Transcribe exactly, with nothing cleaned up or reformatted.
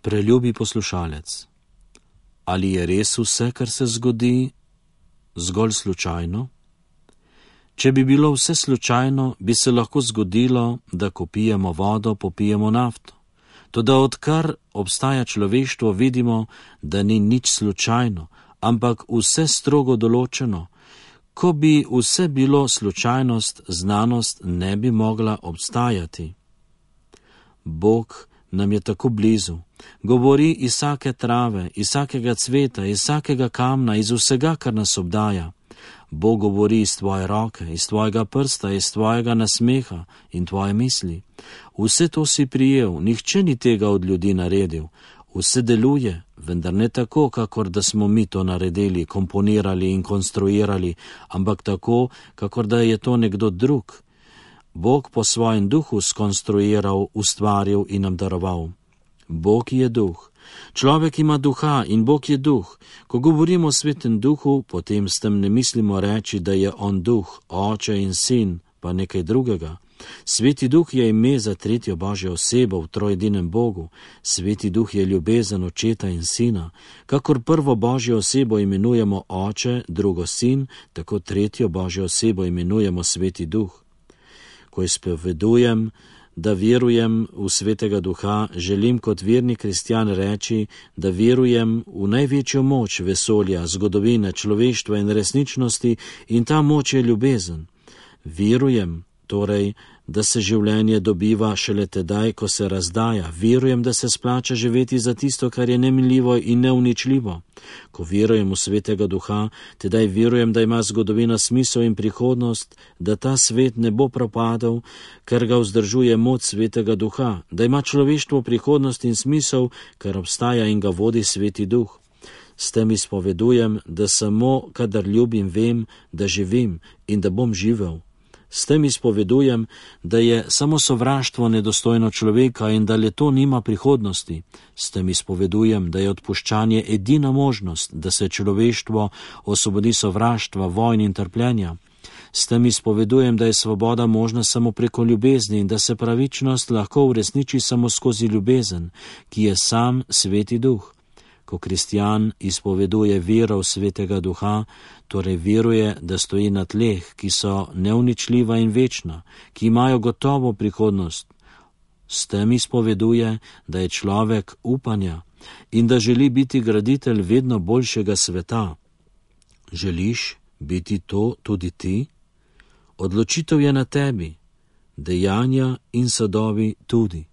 Preljubi poslušalec, ali je res vse, kar se zgodi, zgolj slučajno? Če bi bilo vse slučajno, bi se lahko zgodilo, da ko pijemo vodo, popijemo nafto. Toda odkar obstaja človeštvo, vidimo, da ni nič slučajno, ampak vse strogo določeno. Ko bi vse bilo slučajnost, znanost ne bi mogla obstajati. Bog nam je tako blizu, govori iz vsake trave, iz vsakega cveta, iz vsakega kamna, iz vsega, kar nas obdaja. Bog govori iz tvoje roke, iz tvojega prsta, iz tvojega nasmeha in tvoje misli. Vse to si prijel, nihče ni tega od ljudi naredil. Vse deluje, vendar ne tako, kakor da smo mi to naredili, komponirali in konstruirali, ampak tako, kakor da je to nekdo drug. Bog po svojem duhu skonstruiral, ustvaril in nam daroval. Bog je duh. Človek ima duha in Bog je duh. Ko govorimo o svetem duhu, potem s tem ne mislimo reči, da je on duh, oče in sin, pa nekaj drugega. Sveti duh je ime za tretjo Božjo osebo v trojedinem Bogu. Sveti duh je ljubezen očeta in sina. Kakor prvo Božjo osebo imenujemo oče, drugo sin, tako tretjo Božjo osebo imenujemo sveti duh. Ko izpovedujem, da verujem v svetega duha, želim kot verni kristjan reči, da verujem v največjo moč vesolja, zgodovine, človeštva in resničnosti, in ta moč je ljubezen. Verujem, torej, da se življenje dobiva šele tedaj, ko se razdaja. Verujem, da se splača živeti za tisto, kar je neminljivo in neuničljivo. Ko verujem v svetega duha, tedaj verujem, da ima zgodovina smisel in prihodnost, da ta svet ne bo propadel, ker ga vzdržuje moč svetega duha, da ima človeštvo prihodnost in smisel, ker obstaja in ga vodi sveti duh. S tem izpovedujem, da samo, kadar ljubim, vem, da živim in da bom živel. S tem izpovedujem, da je samo sovraštvo nedostojno človeka in da le to nima prihodnosti. S tem izpovedujem, da je odpuščanje edina možnost, da se človeštvo osvobodi sovraštva, vojn in trpljenja. S tem izpovedujem, da je svoboda možna samo preko ljubezni in da se pravičnost lahko uresniči samo skozi ljubezen, ki je sam sveti duh. Ko kristjan izpoveduje vero v svetega duha, torej veruje, da stoji na tleh, ki so neuničljiva in večna, ki imajo gotovo prihodnost. S tem izpoveduje, da je človek upanja in da želi biti graditelj vedno boljšega sveta. Želiš biti to tudi ti? Odločitev je na tebi, dejanja in sadovi tudi.